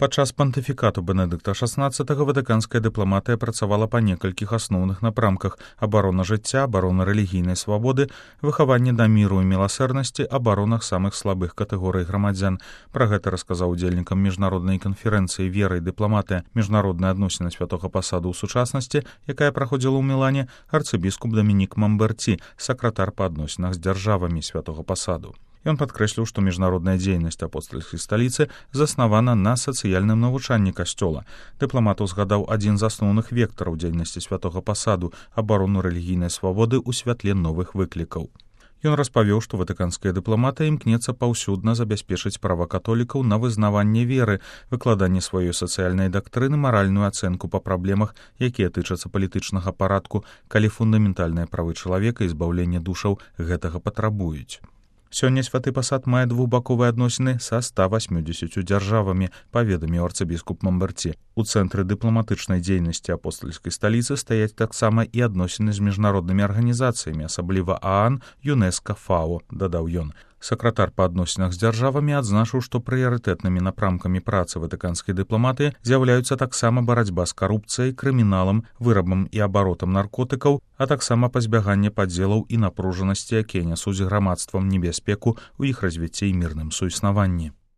Падчас пантыфікату Бенедыкта XVI ватыканская дыпламатыя працавала па некалькіх асноўных напрамках: абарона жыцця, абарона рэлігійнай свабоды, выхаванне да міру і міласэрнасці, абаронах самых слабых катэгорый грамадзян. Пра гэта расказаў удзельнікам міжнароднай канферэнцыі «Вера і дыпламатыя. Міжнародныя адносіны святога пасаду ў сучаснасці», якая праходзіла ў Мілане, арцыбіскуп Дамінік Мамберці, сакратар па адносінах з дзяржавамі святога пасаду. Ён падкрэсліў, што міжнародная дзейнасць апостальскай сталіцы заснавана на сацыяльным навучанні касцёла. Дыпламат узгадаў адзін з асноўных вектараў дзейнасці святога пасаду — абарону рэлігійнай свабоды ў святле новых выклікаў. Ён распавёў, што ватыканская дыпламатыя імкнецца паўсюдна забяспечыць права католікаў на вызнаванне веры, выкладанне сваёй сацыяльнай дактрыны, маральную ацэнку па праблемах, якія тычацца палітычнага парадку, калі фундаментальныя правы чалавека і збаўленне душаў гэтага патрабуюць. Сёння святы пасад мае двухбаковыя адносіны са 180 дзяржавамі, паведаміў арцыбіскуп Мамберці. У цэнтры дыпламатычнай дзейнасці апостальскай сталіцы стаяць таксама і адносіны з міжнароднымі арганізацыямі, асабліва ААН, ЮНЕСКА, ФАО, дадаў ён. Сакратар па адносінах з дзяржавамі адзначыў, што прыярытэтнымі напрамкамі працы ватыканскай дыпламатыі з'яўляюцца таксама барацьба з карупцыяй, крыміналам, вырабам і абаротам наркотыкаў, а таксама пазбяганне падзелаў і напружанасці, якія нясуць грамадствам небяспеку ў іх развіцці і мірным суіснаванні.